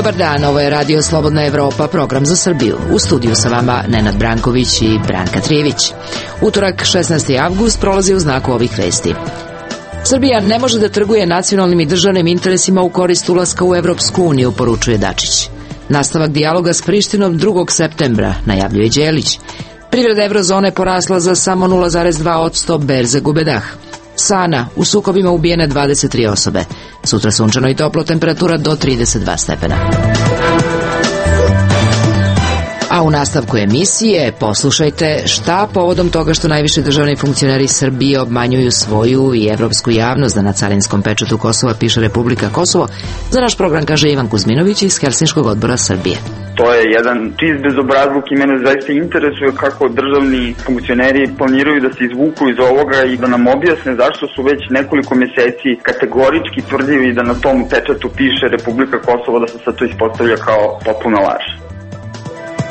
Dobar dan, ovo je Radio Slobodna Evropa, program za Srbiju. U studiju sa vama Nenad Branković i Branka Trijević. Utorak, 16. avgust, prolazi u znaku ovih vesti. Srbija ne može da trguje nacionalnim i državnim interesima u korist ulaska u Evropsku uniju, poručuje Dačić. Nastavak dijaloga s Prištinom 2. septembra, najavljuje Đelić. Privreda eurozone porasla za samo 0,2%, berze gube dah. Sana, u sukobima ubijene 23 osobe. Sutra sunčano i toplo, temperatura do 32 stepena. A u nastavku emisije poslušajte šta povodom toga što najviši državni funkcioneri Srbije obmanjuju svoju i evropsku javnost da na carinskom pečatu Kosova piše Republika Kosovo. Za naš program kaže Ivan Kuzminović iz Helsinškog odbora Srbije. To je jedan čist bezobrazluk i mene zaista interesuje kako državni funkcioneri planiraju da se izvuku iz ovoga i da nam objasne zašto su već nekoliko meseci kategorički tvrdili da na tom pečatu piše Republika Kosovo, da se sad to ispostavlja kao potpuna laž.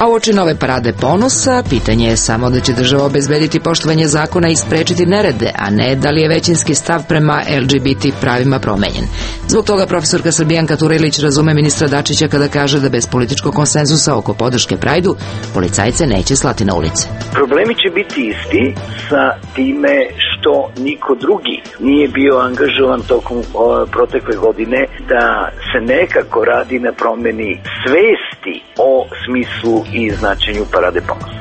A uoči nove parade ponosa, pitanje je samo da će država obezbediti poštovanje zakona i sprečiti nerede, a ne da li je većinski stav prema LGBT pravima promenjen. Zbog toga profesorka Srbijanka Turajlić razume ministra Dačića kada kaže da bez političkog konsenzusa oko podrške Prajdu policajce neće slati na ulice. Problemi će biti isti sa time što niko drugi nije bio angažovan tokom protekle godine da se nekako radi na promeni svesti o smislu i značenju parade ponosa.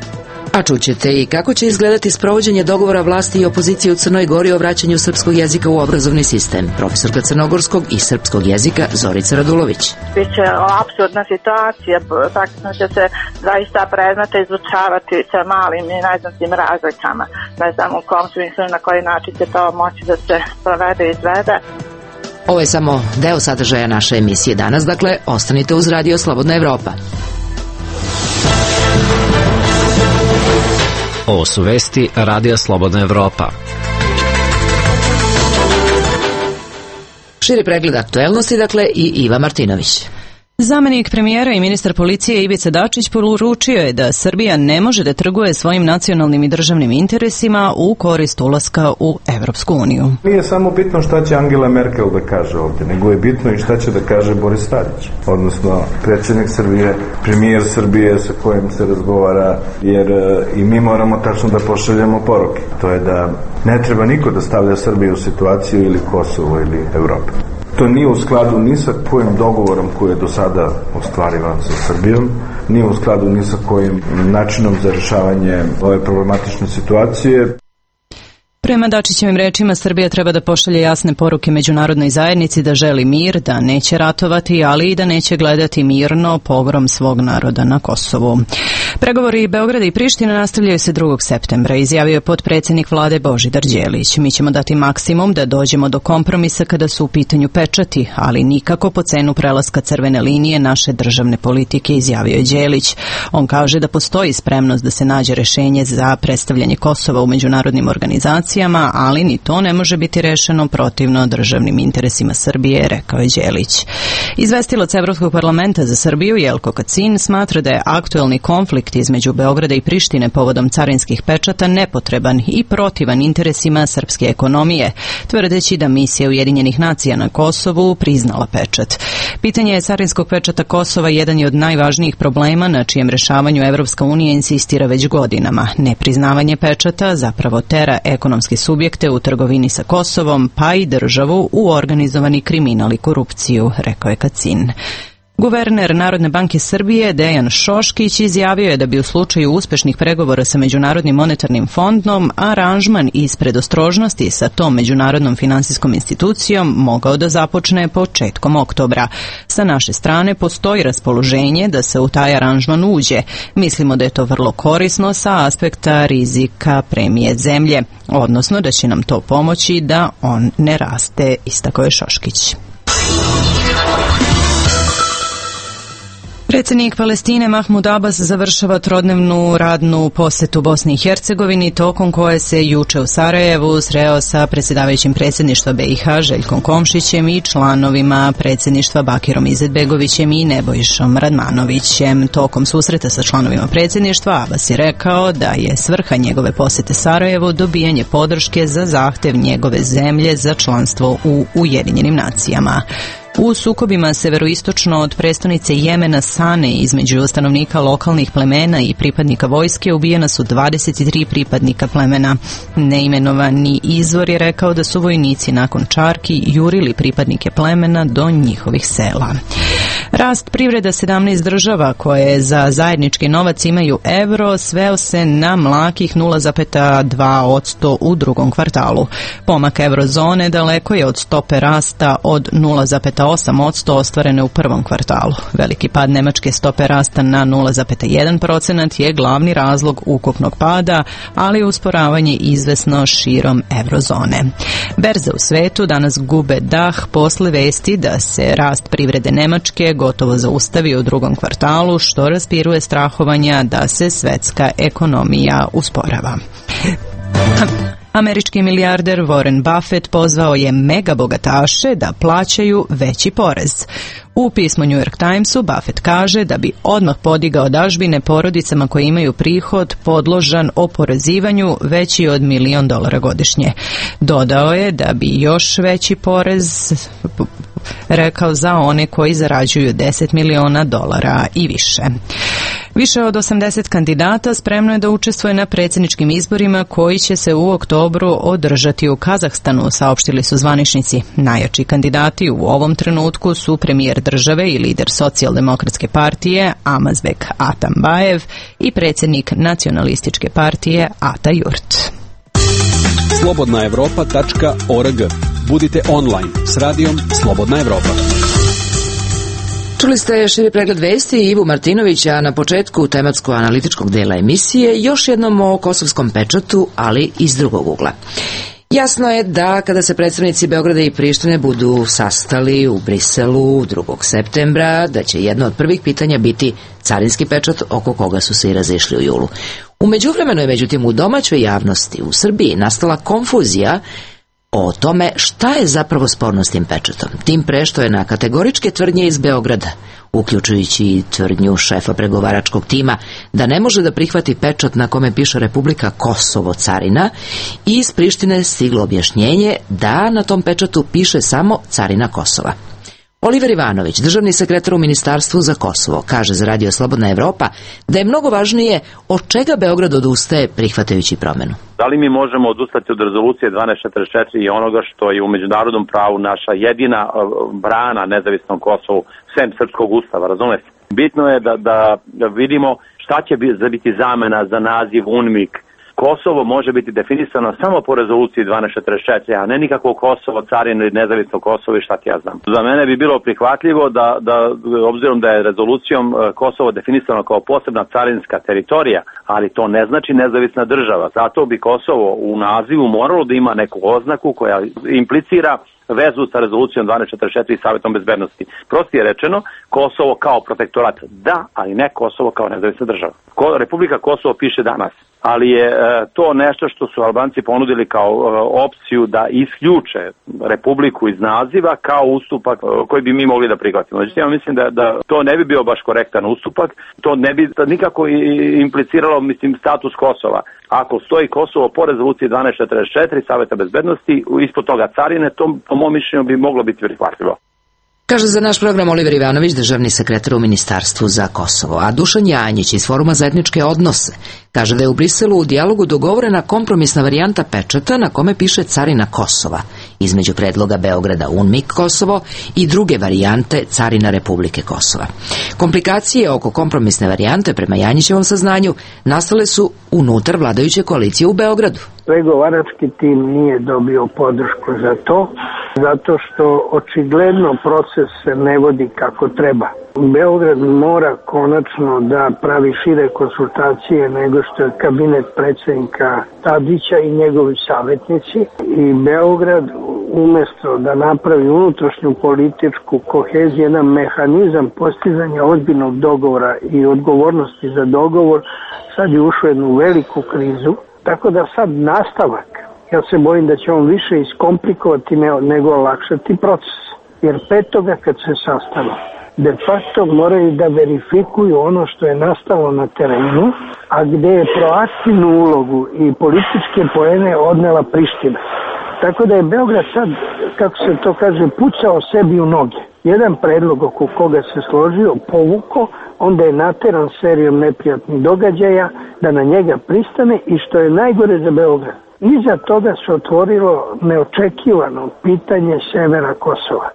A čućete i kako će izgledati sprovođenje dogovora vlasti i opozicije u Crnoj Gori o vraćanju srpskog jezika u obrazovni sistem. Profesorka crnogorskog i srpskog jezika Zorica Radulović. Biće apsurdna situacija, praktično će se zaista predmete izučavati sa malim i neznatnim razlikama. Ne znam u kom smislu na koji način će to moći da se provede i izvede. Ovo je samo deo sadržaja naše emisije danas, dakle ostanite uz Radio Slobodna Evropa. Ovo su vesti Radija Slobodna Evropa. Širi pregled aktuelnosti, dakle, i Iva Martinović. Zamenik premijera i ministar policije Ivica Dačić poručio je da Srbija ne može da trguje svojim nacionalnim i državnim interesima u korist ulaska u Evropsku uniju. Nije samo bitno šta će Angela Merkel da kaže ovdje, nego je bitno i šta će da kaže Boris Tadić, odnosno predsjednik Srbije, premijer Srbije sa kojim se razgovara, jer i mi moramo tačno da pošaljemo poruke. To je da ne treba niko da stavlja Srbiju u situaciju ili Kosovo ili Evropu. To nije u skladu ni sa kojim dogovorom koji je do sada ostvarivan sa Srbijom, nije u skladu ni sa kojim načinom za rješavanje ove problematične situacije. Prema Dačićevim rečima, Srbija treba da pošalje jasne poruke međunarodnoj zajednici da želi mir, da neće ratovati, ali i da neće gledati mirno pogrom svog naroda na Kosovu. Pregovori Beograda i Prištine nastavljaju se 2. septembra, izjavio je potpredsjednik vlade Božidar Đelić. Mi ćemo dati maksimum da dođemo do kompromisa kada su u pitanju pečati, ali nikako po cenu prelaska crvene linije naše državne politike, izjavio je Đelić. On kaže da postoji spremnost da se nađe rešenje za predstavljanje Kosova u međunarodnim organizacijama, ali ni to ne može biti rešeno protivno državnim interesima Srbije, rekao je Đelić. Izvestilac Evropskog parlamenta za Srbiju Jelko Kacin smatra da je aktuelni konflikt između Beograda i Prištine povodom carinskih pečata nepotreban i protivan interesima srpske ekonomije, tvrdeći da misija Ujedinjenih nacija na Kosovu priznala pečat. Pitanje carinskog pečata Kosova jedan je od najvažnijih problema na čijem rešavanju Evropska unija insistira već godinama. Nepriznavanje pečata zapravo tera ekonomske subjekte u trgovini sa Kosovom, pa i državu u organizovani kriminal i korupciju, rekao je Kacin. Guverner Narodne banke Srbije Dejan Šoškić izjavio je da bi u slučaju uspešnih pregovora sa Međunarodnim monetarnim fondom aranžman iz predostrožnosti sa tom međunarodnom finansijskom institucijom mogao da započne početkom oktobra. Sa naše strane postoji raspoloženje da se u taj aranžman uđe. Mislimo da je to vrlo korisno sa aspekta rizika premije zemlje, odnosno da će nam to pomoći da on ne raste, istakao je Šoškić. Predsjednik Palestine Mahmud Abbas završava trodnevnu radnu posetu Bosni i Hercegovini, tokom koje se juče u Sarajevu sreo sa predsjedavajućim predsjedništva BiH Željkom Komšićem i članovima predsjedništva Bakirom Izetbegovićem i Nebojšom Radmanovićem. Tokom susreta sa članovima predsjedništva Abbas je rekao da je svrha njegove posete Sarajevu dobijanje podrške za zahtev njegove zemlje za članstvo u Ujedinjenim nacijama. U sukobima severoistočno od prestonice Jemena Sane između stanovnika lokalnih plemena i pripadnika vojske ubijena su 23 pripadnika plemena. Neimenovani izvor je rekao da su vojnici nakon čarki jurili pripadnike plemena do njihovih sela. Rast privreda 17 država koje za zajednički novac imaju evro sveo se na mlakih 0,2% u drugom kvartalu. Pomak eurozone daleko je od stope rasta od 0,8% ostvarene u prvom kvartalu. Veliki pad nemačke stope rasta na 0,1% je glavni razlog ukupnog pada, ali usporavanje izvesno širom eurozone. Berze u svetu danas gube dah posle vesti da se rast privrede Nemačke gotovo zaustavio u drugom kvartalu, što raspiruje strahovanja da se svetska ekonomija usporava. Američki milijarder Warren Buffett pozvao je megabogataše da plaćaju veći porez. U pismu New York Timesu Buffett kaže da bi odmah podigao dažbine porodicama koje imaju prihod podložan oporezivanju veći od $1 milion godišnje. Dodao je da bi još veći porez rekao za one koji zarađuju $10 miliona i više. Više od 80 kandidata spremno je da učestvuje na predsjedničkim izborima koji će se u oktobru održati u Kazahstanu, saopštili su zvaničnici. Najjači kandidati u ovom trenutku su premijer države i lider socijaldemokratske partije Amazbek Atambajev i predsjednik nacionalističke partije Ata Jurt. Slobodnaevropa.org. Budite online s radijom Slobodna Evropa. Čuli ste širi pregled vesti i Ivu Martinovića na početku tematsko-analitičkog dela emisije, još jednom o kosovskom pečatu, ali iz drugog ugla. Jasno je da kada se predstavnici Beograda i Prištine budu sastali u Briselu 2. septembra, da će jedno od prvih pitanja biti carinski pečat oko koga su se i razišli u julu. U međuvremenu je međutim u domaćoj javnosti u Srbiji nastala konfuzija o tome šta je zapravo sporno s tim pečatom. Tim pre što je na kategoričke tvrdnje iz Beograda, uključujući i tvrdnju šefa pregovaračkog tima da ne može da prihvati pečat na kome piše Republika Kosovo carina, i iz Prištine stiglo objašnjenje da na tom pečatu piše samo carina Kosova. Oliver Ivanović, državni sekretar u Ministarstvu za Kosovo, kaže za Radio Slobodna Evropa da je mnogo važnije od čega Beograd odustaje prihvatajući promenu. Da li mi možemo odustati od rezolucije 1244 i onoga što je u međunarodnom pravu naša jedina brana nezavisnom Kosovu, sem srpskog ustava, razumete? Bitno je da vidimo šta će biti zamena za naziv UNMIK. Kosovo može biti definisano samo po rezoluciji 1244, a ne nikakvo Kosovo, carino i nezavisno Kosovo i šta ti ja znam. Za mene bi bilo prihvatljivo da obzirom da je rezolucijom Kosovo definisano kao posebna carinska teritorija, ali to ne znači nezavisna država. Zato bi Kosovo u nazivu moralo da ima neku oznaku koja implicira vezu sa rezolucijom 1244 i Savjetom bezbednosti. Prostije rečeno, Kosovo kao protektorat da, ali ne Kosovo kao nezavisna država. Republika Kosovo piše danas, ali je to nešto što su Albanci ponudili kao opciju da isključe Republiku iz naziva kao ustupak koji bi mi mogli da prihvatimo. Znači, ja mislim da to ne bi bio baš korektan ustupak, to ne bi nikako impliciralo, status Kosova. Ako stoji Kosovo po rezoluciji 1244 Savjeta bezbednosti, ispod toga carine, to po mom mišljenju bi moglo biti prihvatljivo. Kaže za naš program Oliver Ivanović, državni sekretar u Ministarstvu za Kosovo. A Dušan Janjić iz Foruma za etničke odnose kaže da je u Briselu u dijalogu dogovorena kompromisna varijanta pečata na kome piše carina Kosova, između predloga Beograda UNMIK Kosovo i druge varijante carina Republike Kosova. Komplikacije oko kompromisne varijante, prema Janjićevom saznanju, nastale su unutar vladajuće koalicije u Beogradu. Pregovarački tim nije dobio podršku za to, zato što očigledno proces se ne vodi kako treba. Beograd mora konačno da pravi šire konsultacije nego što je kabinet predsjednika Tadića i njegovi savjetnici, i Beograd umjesto da napravi unutrašnju političku koheziju, jedan mehanizam postizanja ozbiljnog dogovora i odgovornosti za dogovor, sad je ušao u jednu veliku krizu, tako da sad nastavak, ja se bojim da će on više iskomplikovati nego olakšati proces. Jer petoga kad se sastanu, de facto moraju da verifikuju ono što je nastalo na terenu, a gdje je proaktivnu ulogu i političke poene odnela Priština. Tako da je Beograd sad, kako se to kaže, pucao sebi u noge. Jedan predlog oko koga se složio, povuko, onda je nateran serijom neprijatnih događaja da na njega pristane i što je najgore za Beograd. Iza toga se otvorilo neočekivano pitanje severa Kosova.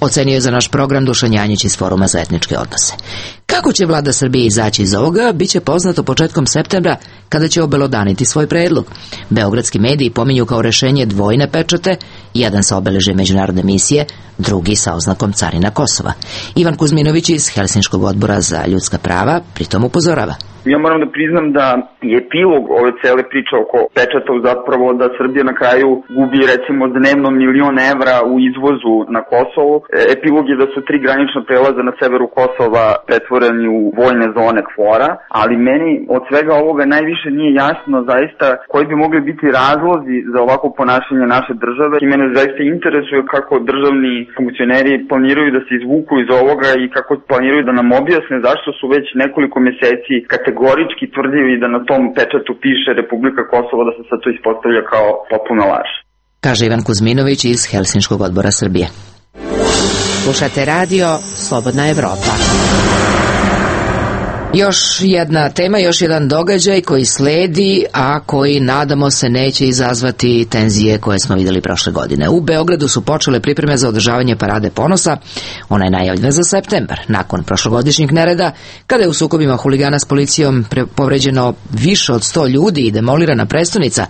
Ocenio je za naš program Dušan Janjić iz Foruma za etničke odnose. Kako će vlada Srbije izaći iz ovoga, bit će poznato početkom septembra, kada će obelodaniti svoj predlog. Beogradski mediji pominju kao rešenje dvojne pečate, jedan sa obeležjem međunarodne misije, drugi sa oznakom carina Kosova. Ivan Kuzminović iz Helsinškog odbora za ljudska prava pritom upozorava. Ja moram da priznam da je epilog ove cele priče oko pečata zapravo da Srbija na kraju gubi recimo dnevno $1.000.000 evra u izvozu na Kosovo. Epilog je da su 3 granična prelaza na severu Kosova pretvoreni u vojne zone KFOR-a, ali meni od svega ovoga najviše nije jasno zaista koji bi mogli biti razlozi za ovako ponašanje naše države. I mene zaista interesuje kako državni funkcioneri planiraju da se izvuku iz ovoga i kako planiraju da nam objasne zašto su već nekoliko meseci kategorički tvrdili da na tom pečatu piše Republika Kosovo, da se sad to ispostavlja kao potpuna laž. Kaže Ivan Kuzminović iz Helsinškog odbora Srbije. Slušate radio Slobodna Evropa. Još jedna tema, još jedan događaj koji sledi, a koji nadamo se neće izazvati tenzije koje smo vidjeli prošle godine. U Beogradu su počele pripreme za održavanje Parade ponosa, ona je najavljena za septembar, nakon prošlogodišnjeg nereda, kada je u sukobima huligana s policijom povređeno više od 100 ljudi i demolirana prestonica.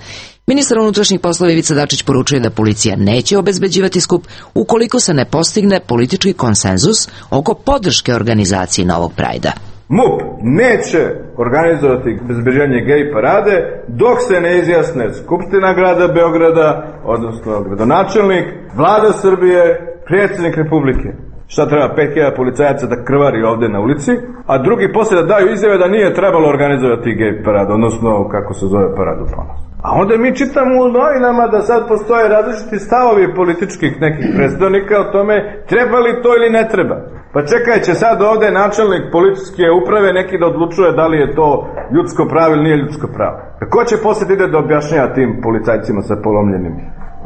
Ministar unutrašnjih poslova Ivica Dačić poručuje da policija neće obezbeđivati skup ukoliko se ne postigne politički konsenzus oko podrške organizaciji novog Prajda. MUP neće organizovati bezbeđenje gej parade dok se ne izjasne Skupština grada Beograda, odnosno gradonačelnik, vlada Srbije, predsjednik Republike. Šta treba 5.000 policajaca da krvari ovde na ulici, a drugi poslije da daju izjave da nije trebalo organizovati gej paradu, odnosno kako se zove Paradu ponosa. A onda mi čitamo u novinama da sad postoje različiti stavovi političkih nekih predstavnika o tome treba li to ili ne treba. Pa čekaj, će sad ovde načelnik policijske uprave neki da odlučuje da li je to ljudsko pravo ili nije ljudsko pravo. Ko će poslije ide da objašnjava tim policajcima sa polomljenim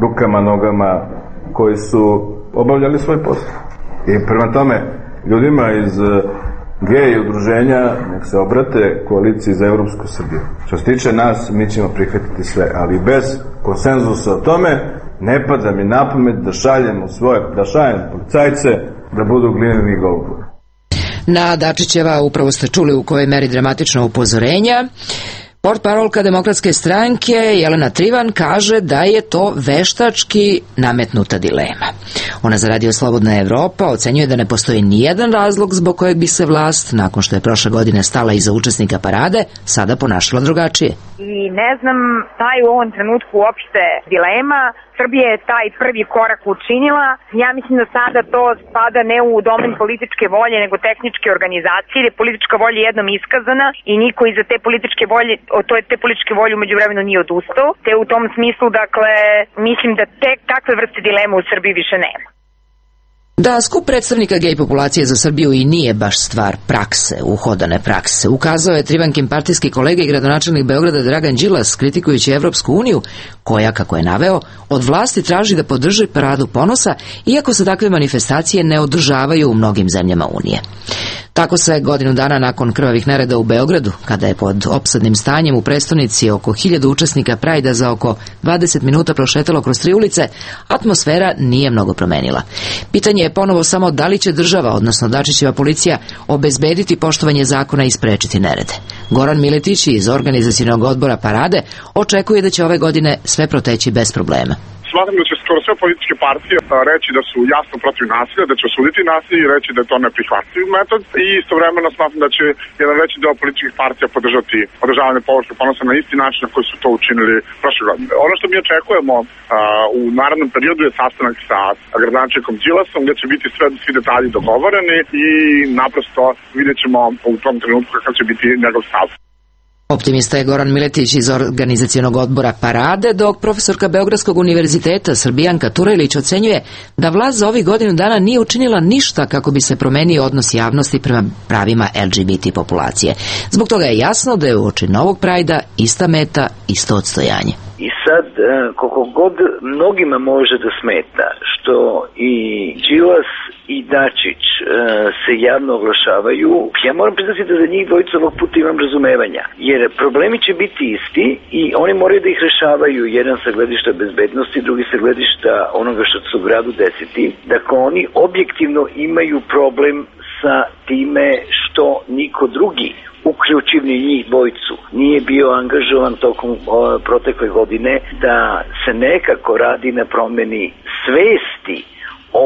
rukama, nogama koji su obavljali svoj posao? I prema tome, ljudima iz gej udruženja nek se obrate koaliciji za Evropsku Srbiju. Što se tiče nas, mi ćemo prihvatiti sve, ali bez konsenzusa o tome ne pada mi na pamet da šaljem policajce da budu glineni golubovi. Na Dačićeva, upravo ste čuli u kojoj meri dramatično upozorenja. Portparolka Demokratske stranke Jelena Trivan kaže da je to veštački nametnuta dilema. Ona za Radio Slobodna Evropa ocenjuje da ne postoji nijedan razlog zbog kojeg bi se vlast, nakon što je prošle godine stala iza učesnika parade, sada ponašala drugačije. I ne znam, taj u ovom trenutku uopšte dilema. Srbija je taj prvi korak učinila. Ja mislim da sada to spada ne u domen političke volje, nego tehničke organizacije, jer je politička volja jednom iskazana i niko iza te političke volje, te političke volje umeđu vremenu nije odustao. Te u tom smislu, dakle, mislim da takve vrste dilema u Srbiji više nema. Da skup predstavnika gej populacije za Srbiju i nije baš stvar prakse, uhodane prakse, ukazao je Trivankin partijski kolega i gradonačelnik Beograda Dragan Đilas, kritikujući Evropsku uniju, koja, kako je naveo, od vlasti traži da podrži Paradu ponosa, iako se takve manifestacije ne održavaju u mnogim zemljama Unije. Tako se godinu dana nakon krvavih nereda u Beogradu, kada je pod opsadnim stanjem u prestonici oko 1000 učesnika Prajda za oko 20 minuta prošetalo kroz 3 ulice, atmosfera nije mnogo promenila. Pitanje je ponovo samo da li će država, odnosno Dačićeva policija, obezbediti poštovanje zakona i sprečiti nerede. Goran Miletić iz organizacionog odbora Parade očekuje da će ove godine sve proteći bez problema. Smatram da će skoro sve političke partije reći da su jasno protiv nasilja, da će osuditi nasilje i reći da je to neprihvatljiv metod i istovremeno smatram da će jedan veći deo političkih partija podržati održavanje Parade ponosa na isti način na koji su to učinili prošle godine. Ono što mi očekujemo u narednom periodu je sastanak sa gradonačelnikom Đilasom gde će biti svi detalji dogovoreni i naprosto vidjet ćemo u tom trenutku kakav će biti njegov stav. Optimista je Goran Miletić iz organizacionog odbora Parade, dok profesorka Beogradskog univerziteta Srbijanka Turajlić ocenjuje da vlast za ovih godinu dana nije učinila ništa kako bi se promenio odnos javnosti prema pravima LGBT populacije. Zbog toga je jasno da je uoči novog Prajda ista meta, isto odstojanje. I sad koliko god mnogima može da smeta što i Đilas i Dačić se javno oglašavaju, ja moram priznati da za njih dvojicu ovog puta imam razumevanja, jer problemi će biti isti i oni moraju da ih rešavaju, jedan sa gledišta bezbednosti, drugi sa gledišta onoga što se u gradu desiti. Dakle, oni objektivno imaju problem sa time što niko drugi, uključivni njih dvojicu, nije bio angažovan tokom protekle godine da se nekako radi na promeni svesti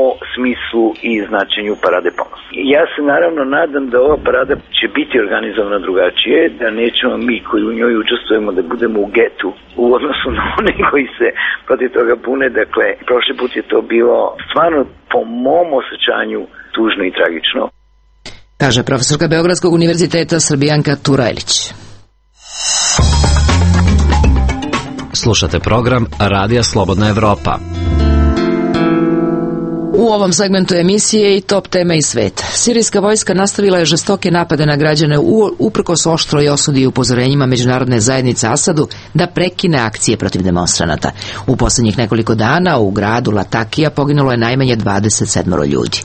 o smislu i značenju Parade ponosa. Ja se naravno nadam da ova parada će biti organizovana drugačije, da nećemo mi koji u njoj učestvujemo da budemo u getu u odnosu na one koji se protiv toga bune. Dakle, prošli put je to bilo stvarno po mom osjećanju tužno i tragično. Kaže profesorka Beogradskog univerziteta Srbijanka Turajlić. Slušate program Radija Slobodna Evropa. U ovom segmentu emisije i top teme iz sveta. Sirijska vojska nastavila je žestoke napade na građane uprkos oštroj osudi i upozorenjima međunarodne zajednice Asadu da prekine akcije protiv demonstranata. U posljednjih nekoliko dana u gradu Latakija poginulo je najmanje 27 ljudi.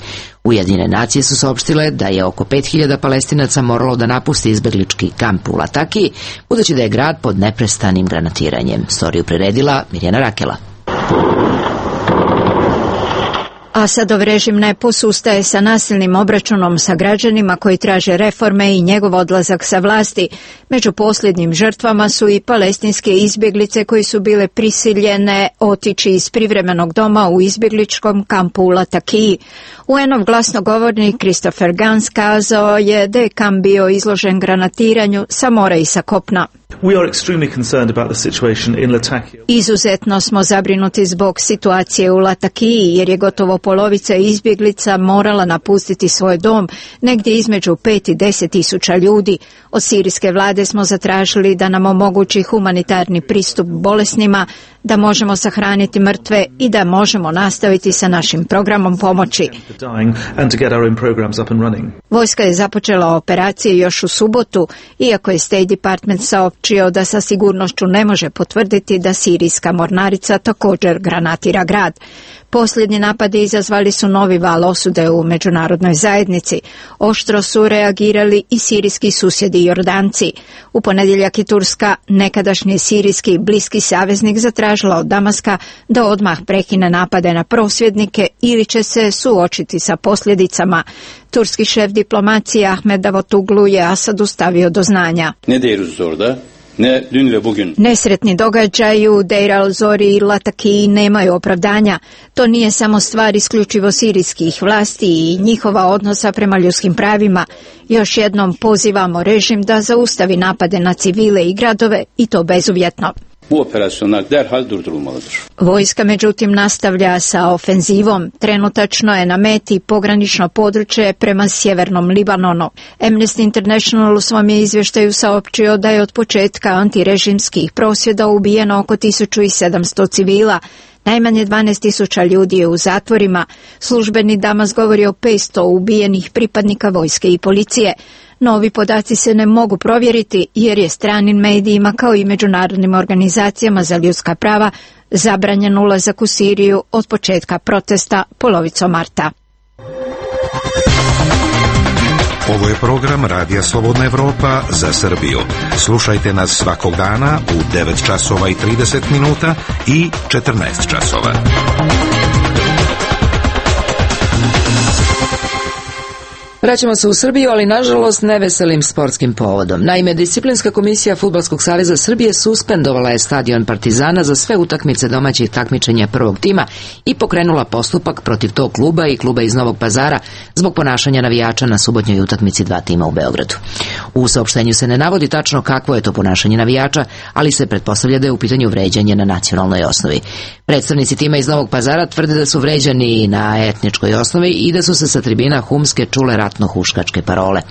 Ujedinjene nacije su saopštile da je oko 5000 Palestinaca moralo da napusti izbeglički kamp u Latakiji, budući da je grad pod neprestanim granatiranjem. Storiju priredila Mirjana Rakela. Asadov režim ne posustaje sa nasilnim obračunom sa građanima koji traže reforme i njegov odlazak sa vlasti. Među posljednjim žrtvama su i palestinske izbjeglice koji su bile prisiljene otići iz privremenog doma u izbjegličkom kampu u Latakiji. UN-ov glasnogovornik Christopher Gans kazao je da je kamp bio izložen granatiranju sa mora i sa kopna. Izuzetno smo zabrinuti zbog situacije u Latakiji, jer je gotovo polovica izbjeglica morala napustiti svoj dom, negdje između 5 i 10 tisuća ljudi. Od sirijske vlade smo zatražili da nam omogući humanitarni pristup bolesnima, da možemo sahraniti mrtve i da možemo nastaviti sa našim programom pomoći. Vojska je započela operacije još u subotu, iako je State Department saopćio da sa sigurnošću ne može potvrditi da sirijska mornarica također granatira grad. Posljednji napadi izazvali su novi val osude u međunarodnoj zajednici. Oštro su reagirali i sirijski susjedi Jordanci. U ponedjeljak je Turska, nekadašnji sirijski bliski saveznik, zatražila od Damaska da odmah prekine napade na prosvjednike ili će se suočiti sa posljedicama. Turski šef diplomacije Ahmed Davutoglu je Asadu stavio do znanja. Nesretni događaji u Deir al-Zori i Latakiji nemaju opravdanja. To nije samo stvar isključivo sirijskih vlasti i njihova odnosa prema ljudskim pravima. Još jednom pozivamo režim da zaustavi napade na civile i gradove i to bezuvjetno. Bu operasyonlar derhal durdurulmalıdır. Vojska međutim nastavlja sa ofenzivom. Trenutačno je na meti pogranično područje prema sjevernom Libanonu. Amnesty International u svom je izvještaju saopćio da je od početka antirežimskih prosvjeda ubijeno oko 1700 civila. Najmanje 12.000 ljudi je u zatvorima. Službeni Damas govori o 500 ubijenih pripadnika vojske i policije. Novi podaci se ne mogu provjeriti jer je stranim medijima kao i međunarodnim organizacijama za ljudska prava zabranjen ulazak u Siriju od početka protesta polovicom marta. Ovo je program Radija Slobodna Evropa za Srbiju. Slušajte nas svakog dana u 9 časova i 30 minuta i 14 časova. Vraćamo se u Srbiju, ali nažalost neveselim sportskim povodom. Naime, Disciplinska komisija Fudbalskog saveza Srbije suspendovala je stadion Partizana za sve utakmice domaćih takmičenja prvog tima i pokrenula postupak protiv tog kluba i kluba iz Novog Pazara zbog ponašanja navijača na subotnjoj utakmici dva tima u Beogradu. U saopštenju se ne navodi tačno kakvo je to ponašanje navijača, ali se pretpostavlja da je u pitanju vređanje na nacionalnoj osnovi. Predstavnici tima iz Novog Pazara tvrde da su vređani na etničkoj osnovi i da su se sa tribina Humske čule ratno-huškačke parole.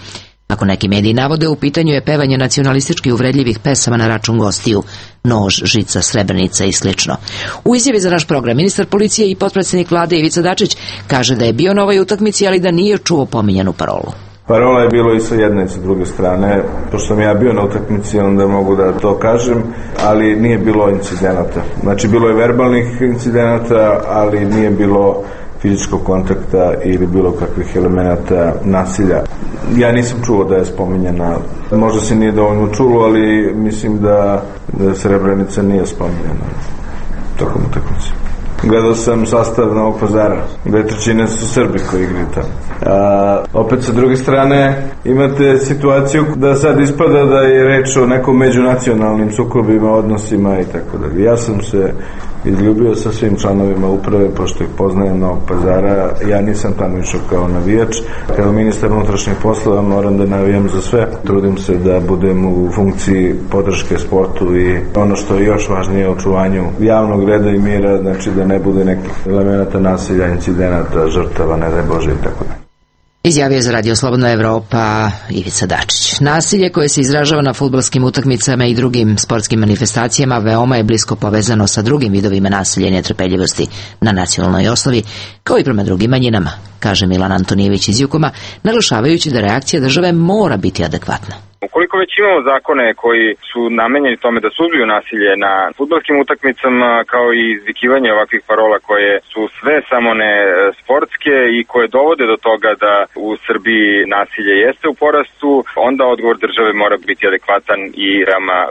Ako neki mediji navode, u pitanju je pevanje nacionalistički uvredljivih pesama na račun gostiju, nož, žica, srebrnica i slično. U izjavi za naš program, ministar policije i potpredsjednik vlade Ivica Dačić kaže da je bio na ovoj utakmici, ali da nije čuo pominjanu parolu. Parola je bilo i sa jedne i sa druge strane. Pošto sam ja bio na utakmici, onda mogu da to kažem, ali nije bilo incidenata. Znači, bilo je verbalnih incidenata, ali nije bilo fizičkog kontakta ili bilo kakvih elemenata nasilja. Ja nisam čuo da je spominjena, možda se nije dovoljno čulo, ali mislim da Srebrenica nije spominjena tokom utakmice. Gledao sam sastav Novog Pazara, 2/3 su Srbi koji igraju tamo. Opet sa druge strane imate situaciju da sad ispada da je reč o nekom međunacionalnim sukobima, odnosima i tako dalje. Ja sam se izljubio sa svim članovima uprave, pošto ih poznajem Novog Pazara. Ja nisam tamo išao kao navijač. Kao ministar unutrašnjih poslova moram da navijam za sve. Trudim se da budem u funkciji podrške sportu i ono što je još važnije, očuvanju javnog reda i mira, znači da ne bude nekih elemenata nasilja, incidenata, žrtava, ne daj Bože i tako dalje. Izjavio je za Radio Slobodna Evropa Ivica Dačić. Nasilje koje se izražava na fudbalskim utakmicama i drugim sportskim manifestacijama veoma je blisko povezano sa drugim vidovima nasilja i netrpeljivosti na nacionalnoj osnovi, kao i prema drugim manjinama, kaže Milan Antonijević iz Jukoma, naglašavajući da reakcija države mora biti adekvatna. Ukoliko već imamo zakone koji su namenjeni tome da suzbiju nasilje na fudbalskim utakmicama, kao i izvikivanje ovakvih parola koje su sve samo ne sportske i koje dovode do toga da u Srbiji nasilje jeste u porastu, onda odgovor države mora biti adekvatan i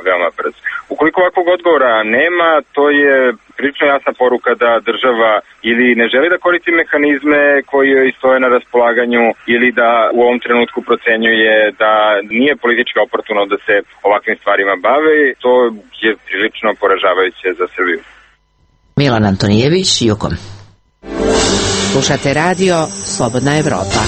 veoma brz. Ukoliko ovakvog odgovora nema, to je prilično jasna poruka da država ili ne želi da koristi mehanizme koji joj stoje na raspolaganju ili da u ovom trenutku procenjuje da nije politički oportuno da se ovakvim stvarima bave. To je prilično poražavajuće za Srbiju. Milan Antonijević, Jukom. Slušate radio Slobodna Evropa.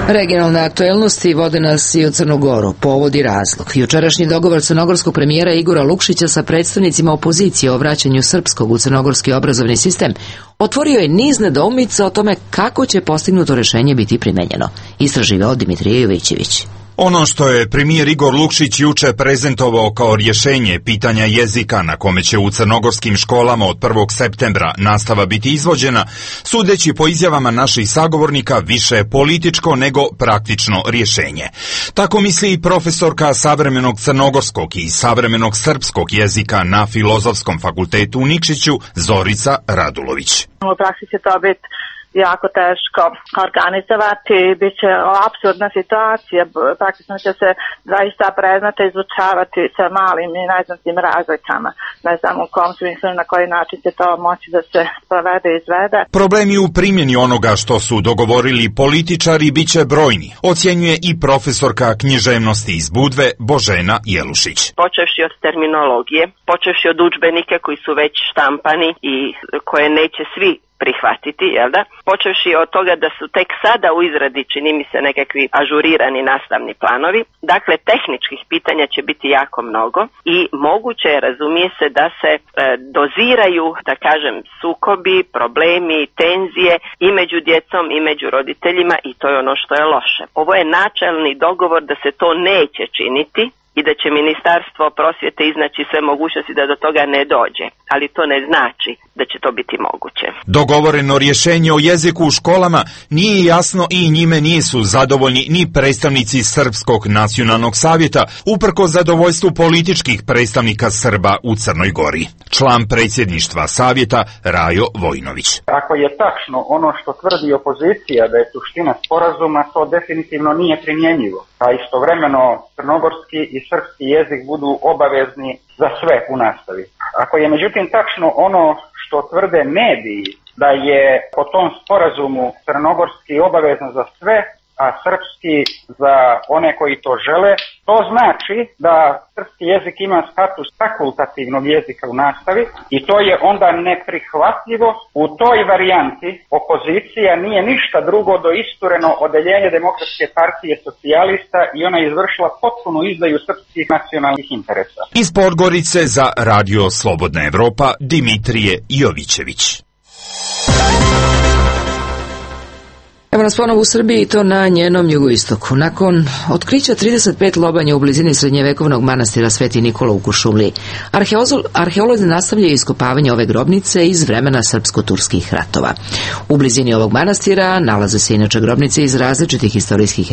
Regionalne aktuelnosti vode nas i u Crnu Goru. Povod i razlog. Jučerašnji dogovor crnogorskog premijera Igora Lukšića sa predstavnicima opozicije o vraćanju srpskog u crnogorski obrazovni sistem otvorio je niz nedoumica o tome kako će postignuto rešenje biti primenjeno. Istraživao Dimitrije Jovićević. Ono što je premijer Igor Lukšić juče prezentovao kao rješenje pitanja jezika na kome će u crnogorskim školama od 1. septembra nastava biti izvođena, sudeći po izjavama naših sagovornika, više je političko nego praktično rješenje. Tako misli i profesorka savremenog crnogorskog i savremenog srpskog jezika na Filozofskom fakultetu u Nikšiću, Zorica Radulović. U praksi će to biti jako teško organizovati, bit će apsurdna situacija, praktično će se zaista predmete izučavati sa malim i neznatnim razlikama. Ne znam u kom smislu na koji način će to moći da se sprovede i izvede. Problemi u primjeni onoga što su dogovorili političari bit će brojni, ocjenjuje i profesorka književnosti iz Budve Božena Jelušić. Počevši od terminologije, počevši od udžbenika koji su već štampani i koje neće svi prihvatiti, jel da? Počevši od toga da su tek sada u izradi, čini mi se, nekakvi ažurirani nastavni planovi. Dakle, tehničkih pitanja će biti jako mnogo i moguće je, razumije se, da se doziraju, da kažem, sukobi, problemi, tenzije i među djecom i među roditeljima i to je ono što je loše. Ovo je načelni dogovor da se to neće činiti i da će Ministarstvo prosvjete iznaći sve mogućnosti da do toga ne dođe, ali to ne znači da će to biti moguće. Dogovoreno rješenje o jeziku u školama nije jasno i njime nisu zadovoljni ni predstavnici Srpskog nacionalnog savjeta, uprkos zadovoljstvu političkih predstavnika Srba u Crnoj Gori. Član predsjedništva savjeta Rajo Vojnović. Ako je tačno ono što tvrdi opozicija da je suština sporazuma, to definitivno nije primjenjivo. A istovremeno crnogorski i srpski jezik budu obavezni za sve u nastavi. Ako je međutim tačno ono što tvrde mediji da je po tom sporazumu crnogorski obavezan za sve, a srpski za one koji to žele, to znači da srpski jezik ima status fakultativnog jezika u nastavi i to je onda neprihvatljivo. U toj varijanti opozicija nije ništa drugo do istureno odeljenje Demokratske partije socijalista i ona je izvršila potpunu izdaju srpskih nacionalnih interesa. Iz Podgorice za Radio Slobodna Evropa Dimitrije Jovićević. Evo nas ponovo u Srbiji i to na njenom jugoistoku. Nakon otkrića 35 lobanja u blizini srednjevekovnog manastira Sveti Nikola u Kuršumliji, arheolozi nastavljaju iskopavanje ove grobnice iz vremena srpsko-turskih ratova. U blizini ovog manastira nalaze se inače grobnice iz različitih istorijskih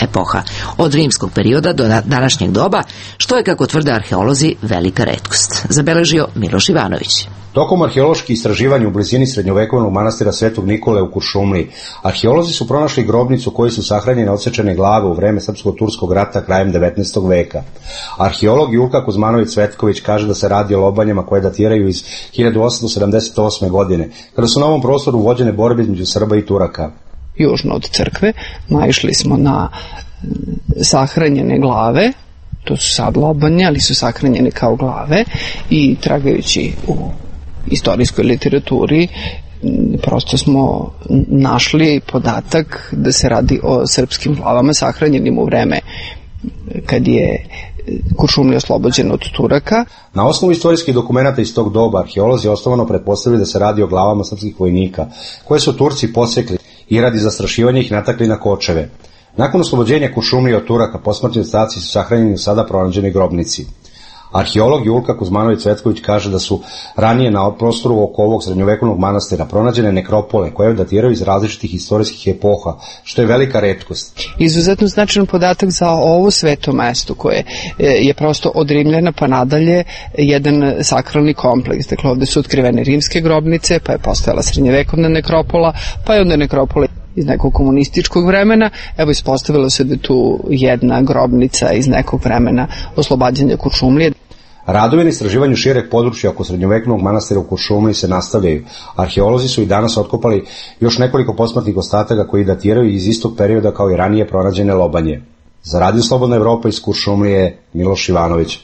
epoha, od rimskog perioda do današnjeg doba, što je, kako tvrde arheolozi, velika retkost. Zabeležio Miloš Ivanović. Tokom arheoloških istraživanja u blizini srednjovekovnog manastira Svetog Nikole u Kuršumliji, arheolozi su pronašli grobnicu u kojoj su sahranjene odsečene glave u vreme srpsko-turskog rata krajem 19. veka. Arheolog Julka Kuzmanović-Cvetković kaže da se radi o lobanjama koje datiraju iz 1878. godine, kada su na ovom prostoru vođene borbe između Srba i Turaka. Južno od crkve naišli smo na sahranjene glave. To su sad lobanje, ali su sahranjene kao glave, i tragajući u istorijskoj literaturi prosto smo našli podatak da se radi o srpskim glavama sahranjenim u vreme kad je Kuršumlija oslobođena od Turaka. Na osnovu istorijskih dokumenata iz tog doba arheolozi osnovano pretpostavili da se radi o glavama srpskih vojnika, koje su Turci posekli i radi zastrašivanja ih natakli na kočeve. Nakon oslobođenja Kuršumlije od Turaka, posmrtni ostaci su sahranjeni u sada pronađenoj grobnici. Arheolog Julka Kuzmanović-Cvetković kaže da su ranije na prostoru oko ovog srednjovekovnog manastira pronađene nekropole koje datiraju iz različitih istorijskih epoha, što je velika retkost. Izuzetno značajan podatak za ovo sveto mesto koje je prosto od Rimljana pa nadalje jedan sakralni kompleks. Dakle, ovde su otkrivene rimske grobnice, pa je postojala srednjevekovna nekropola, pa je onda nekropola iz nekog komunističkog vremena. Evo, ispostavilo se da je tu jedna grobnica iz nekog vremena oslobađanja Kuršumlije. Radovi na istraživanju šireg područja oko srednjovekovnog manastira u Kuršumliji se nastavljaju. Arheolozi su i danas otkopali još nekoliko posmrtnih ostataka koji datiraju iz istog perioda kao i ranije pronađene lobanje. Za Radio Slobodna Evropa iz Kuršumlije, Miloš Ivanović.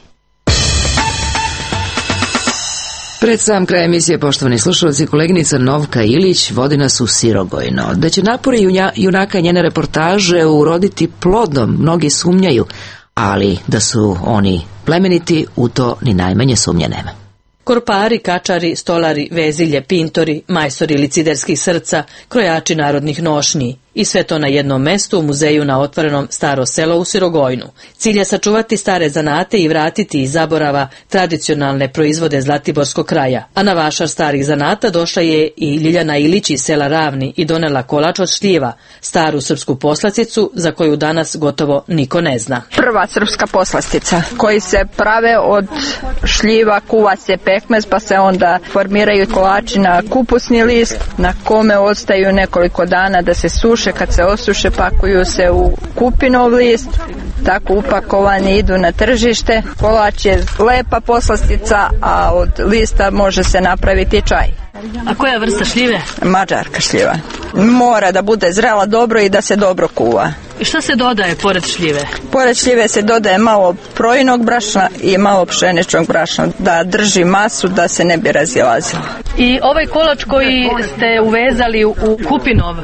Pred sam kraj emisije, poštovani slušalci, koleginica Novka Ilić vodi nas u Sirogojno. Da će napori junaka njene reportaže uroditi plodom, mnogi sumnjaju, ali da su oni plemeniti, u to ni najmanje sumnje nema. Korpari, kačari, stolari, vezilje, pintori, majstori liciderskih srca, krojači narodnih nošnji. I sve to na jednom mestu u muzeju na otvorenom Staro selo u Sirogojnu. Cilj je sačuvati stare zanate i vratiti iz zaborava tradicionalne proizvode Zlatiborskog kraja. A na vašar starih zanata došla je i Ljiljana Ilić iz sela Ravni i donela kolač od šljiva, staru srpsku poslasticu za koju danas gotovo niko ne zna. Prva srpska poslastica koji se prave od šljiva, kuva se pekmez, pa se onda formiraju kolači na kupusni list na kome ostaju nekoliko dana da se suše. Kad se osuše, pakuju se u kupinov list, tako upakovani idu na tržište. Kolač je lepa poslastica, a od lista može se napraviti čaj. A koja vrsta šljive? Mađarka šljiva. Mora da bude zrela dobro i da se dobro kuva. I šta se dodaje pored šljive? Pored šljive se dodaje malo projinog brašna i malo pšeničnog brašna, da drži masu, da se ne bi razilazila. I ovaj kolač koji ste uvezali u kupinov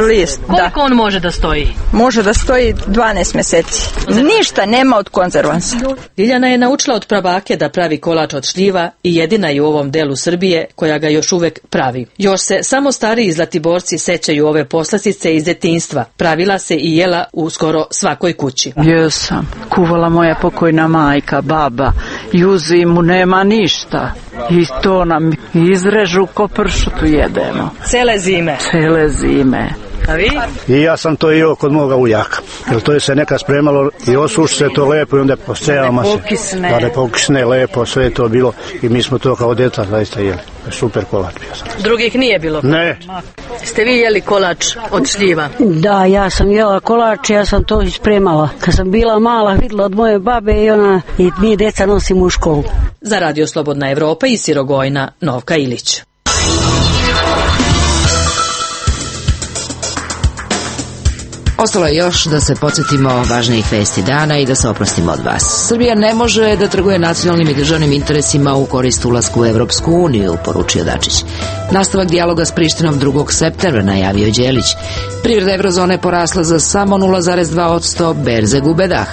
list, koliko on može da stoji? Može da stoji 12 meseci. Ništa nema od konzervansa. Ljiljana je naučila od prabake da pravi kolač od šljiva i jedina je u ovom delu Srbije koja ga još uvek pravi. Još se samo stariji Zlatiborci sećaju ove poslastice iz detinjstva. Pravila se i jela u skoro svakoj kući. Jesam. Kuvala moja pokojna majka, baba. I u zimu nema ništa. I to nam izrežu ko pršutu jedemo. Cele zime? Cele zime. A vi? I ja sam to jeo kod moga uljaka. Jer to je se nekad spremalo i osuši se to lepo i onda posejama se. Da ne pokisne lepo, sve je to bilo. I mi smo to kao djeca zaista jeli. Super kolač bio sam. Drugih nije bilo? Ne. Ste vi jeli kolač od šljiva? Da, ja sam jela kolač, ja sam to ispremala. Kad sam bila mala, videla od moje babe i mi djeca nosimo u školu. Za Radio Slobodna Evropa iz Sirogojna, Novka Ilić. Ostalo je još da se podsjetimo važnijih vesti dana i da se oprostimo od vas. Srbija ne može da trguje nacionalnim i državnim interesima u korist ulasku u Evropsku uniju, poručio Dačić. Nastavak dijaloga s Prištinom 2. septembra, najavio Đelić. Privreda eurozone porasla za samo 0,2%, berze gube dah.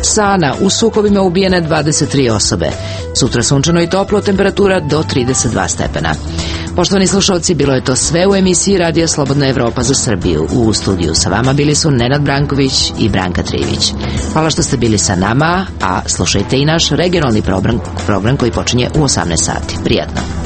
Sana, u sukobima ubijene 23 osobe. Sutra sunčano i toplo, temperatura do 32 stepena. Poštovani slušalci, bilo je to sve u emisiji Radija Slobodna Evropa za Srbiju. U studiju sa vama bili su Nenad Branković i Branka Trivić. Hvala što ste bili sa nama, a slušajte i naš regionalni program koji počinje u 18 sati. Prijatno.